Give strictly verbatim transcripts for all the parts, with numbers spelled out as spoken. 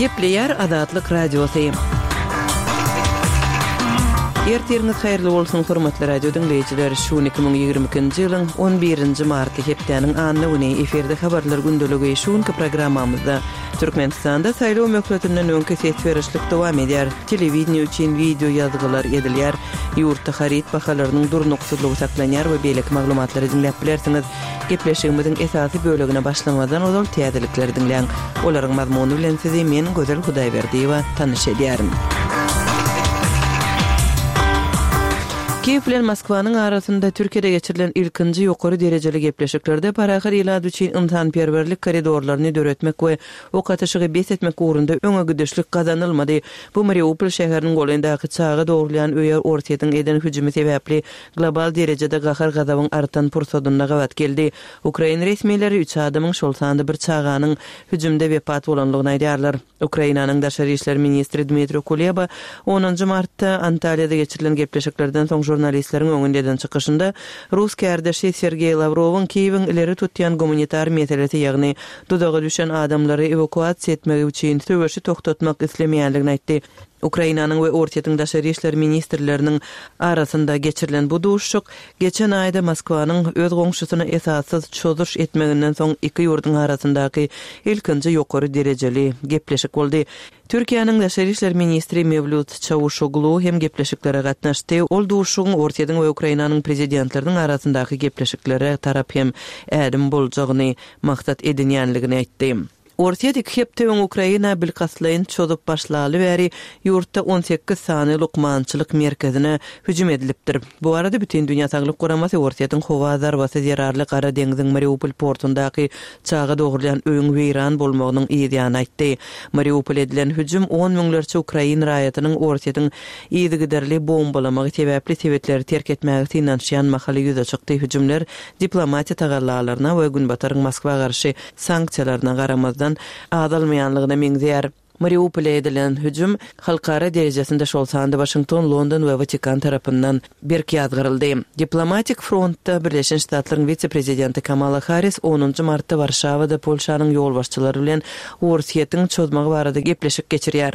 Gepleýär Azatlyk Radiosy. Ertiriňiz haýyrly bolsun, hormatly radio diňleýjiler! Şu gün iki müň ýigrimi ikinji ýylyň on birinji marty, hepdäniň anna güni, efirde Habarlar gündeligi. Şu günki programmamyzda Türkmenistanda saýlaw möhletinden öňki ses berişlik dowam edýär, telewideniýe üçin wideo ýazgylar edilýär, ýurtda haryt bahalarynyň durnuksyzlygy saklanýar we beýleki maglumatlary diňläp bilersiňiz. Gepleşigimiziň esasy bölegine başlamazdan ozal täzelikleri diňläň. Olaryň mazmuny bilen sizi men, Gözel Hudaýberdiýewa, tanyş edýärin. Kiýew bilen Moskwanyň arasynda Türkiýede geçirilen ilkinji ýokary derejeli gepleşiklerde parahat ilat üçin ynsanperwerlik koridorlaryny döretmek we ok atyşygy bes etmek ugrunda öňe gidişlik gazanylmady. Bu Mariupol şäheriniň golaýyndaky çaga dogrulýan öýe Orsýetiň eden hüjümi sebäpli global derejede gahar-gazabyň artan pursadynda gabat geldi. Ukrain resmileri üç adamyň, şol sanda bir çaganyň hüjümde wepat bolandygyny aýdýarlar. Ukrainanyň daşary işler ministri Dmitro Kuleba onunjy martda Antalýada geçirilen gepleşiklerden soň žurnalistleriň öňünde eden çykyşynda rus kärdeşi Sergeý Lawrowyň Kiýewiň ileri tutýan gumanitar meselesi, ýagny duzaga düşen adamlary ewakuasiýa etmegi üçin söweşi togtatmak islemeýändigini aýtdy. Ukrainanyň we Orsýetiň daşary işler ministrleriniň arasynda geçirilen bu duşuşyk geçen aýda Moskwanyň öz goňşusyna esassyz çozuş etmeginden soň iki ýurduň arasyndaky ilkinji ýokary derejeli gepleşik boldy. Türkiýäniň daşary işler ministri Mewlüt Çawuşoglu hem gepleşiklere gatnaşdy. Ol duşuşygyň Orsýetiň we Ukrainanyň prezidentleriniň arasyndaky gepleşiklere tarap hem ädim boljagyny maksat edinýänligini aýtdy. Orsýet iki hepde öň Ukraina bilkastlaýyn çozup başlaly bäri ýurtda on sekiz sany lukmançylyk merkezine hüjüm edilipdir. Bu barada Bütindünýä Saglyk Guramasy Orsýetiň howa zarbasy zerarly Gara deňziň Mariupol portundaky çaga dogrulýan öýüň weýran bolmagynyň yz ýany aýtdy. Mariupol edilen hüjüm on müňlerçe ukrain raýatynyň Orsýetiň yzygiderli bombalamagy sebäpli sebitleri terk etmäge synanyşýan mahaly ýüze çykdy. Hüjümler diplomatiýa tagallalaryna we Günbataryň Moskwa garşy sanksiýalaryna garamazdan azalmaýanlygyna meňzeýär. Mariupole edilen hüjüm halkara derejesinde, şol sanda Waşington, London we Watikan tarapyndan berk ýazgaryldy. Diplomatik frontda Birleşen Ştatlaryň wise-prezidenti Kamala Harris onunjy martda Warşawada Polşanyň ýolbaşçylary bilen Orsýetiň çozmagy barada gepleşik geçirýär.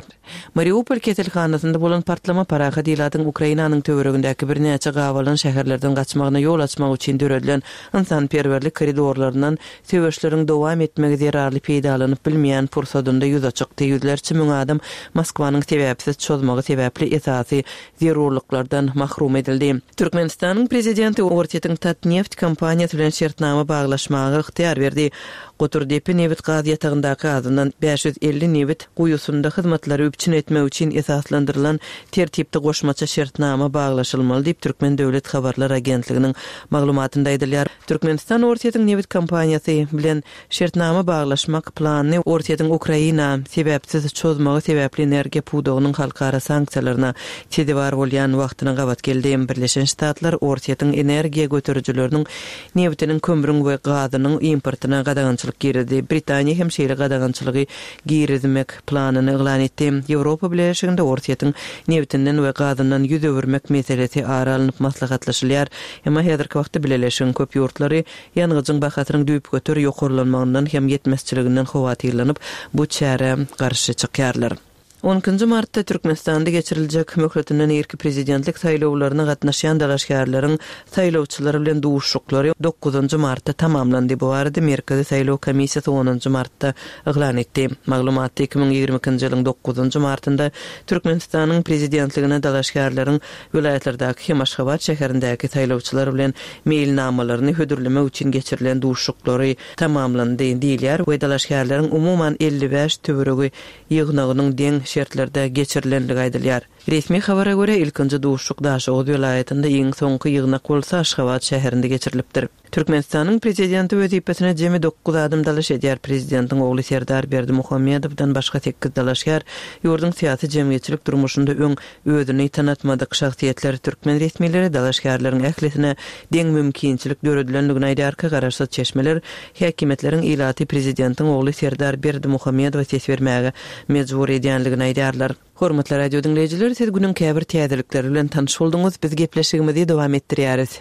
Mariupol keselhanasynda bolan partlama parahat ilatyň Ukrainanyň töweregindäki birnäçe gabalan şäherlerden gaçmagyna ýol açmak üçin döredilen ynsanperwerlik koridorlaryndan söweşleriň dowam etmegi zerarly peýdalanyp bilmeýän pursadynda ýüze çykdy. Ýüzlerçe müň adam Moskwanyň sebäpsiz çozmagy sebäpli esasy zerurlyklardan mahrum edildi. Türkmenistanyň Prezidenti Orsýetiň Tatneft kompaniýasy bilen şertnama baglaşmaga ygtyýar berdi. Goturdepe nebit-gaz ýatagyndaky azyndan bäş ýüz elli nebit guýusynda hyzmatlary üpjün etmek üçin esaslandyrylan tertipde goşmaça şertnama baglaşylmaly diýip, Türkmen döwlet habarlar agentliginiň maglumatynda aýdylýar. Türkmenistan Orsýetiň nebit kompaniýasy bilen şertnama baglaşmak planyny Orsýetiň Ukraina sebäpsiz çozmagy sebäpli energiýa pudagynyň halkara sanksiýalaryna sezewar bolýan wagtyna gabat geldi. Birleşen Ştatlar Orsýetiň energiýa göterijileriniň nebitiniň, kömrüň we gazynyň importyna gadagançylyk girizdi. Britaniýa hem şeýle gadagançylygy girizmek planyny yglan etdi. Ýewropa Bileleşiginde Orsýetiň nebitinden we gazyndan ýüz öwürmek meselesi ara alnyp maslahatlaşylýar. Emma häzirki wagtda Bileleşigiň köp ýurtlary ýangyjyň bahasynyň düýpgöter ýokarlanmagyndan hem ýetmezçiliginden howatyrlanyp, bu çärä garşy çykýarlar. On ikinji martda Türkmenistanda geçiriljek möhletinden irki prezidentlik saýlawlaryna gatnaşýan dalaşgärleriň saýlawçylar bilen duşuşyklary dokuzynjy martda tamamlandy. Bu barada Merkezi saýlaw komissiýasy onunjy martda yglan etdi. Maglumatda iki müň ýigrimi ikinji ýylyň dokuzynjy martynda Türkmenistanyň prezidentligine dalaşgärleriň welaýatlardaky hem Aşgabat şäherindäki saýlawçylar bilen meýilnamalaryny hödürlemek üçin geçirilen duşuşyklary tamamlandy diýilýär we dalaşgärleriň umuman elli bäş töweregi ýygnagynyň deň şertlerde geçirilenligi aýdylýar. Resmi habara görä, ilkinji duşuşyk Daşoguz welaýatynda, iň soňky ýygnak bolsa Aşgabat şäherinde geçirilipdir. Türkmenistanyň prezidenti wezipesine jemi dokuz adam dalaş edýär. Prezidentiň ogly Serdar Berdimuhamedowdan başga sekiz dalaşgär ýurduň syýasy-jemgyýetçilik durmuşynda öň özüni tanatmadyk şahsyýetler. Türkmen resmileri dalaşgärleriň ählisine deň mümkinçilik döredilendigini aýdýarka, garaşsyz çeşmeler häkimiýetleriň ilaty prezidentiň ogly Serdar Berdimuhamedowa ses bermäge mejbur edýänligini aýdýarlar. Hormatly radio diňleýjiler, siz günüň käbir täzelikleri bilen tanyş bolduňyz. Biz gepleşigimizi dowam etdirýäris.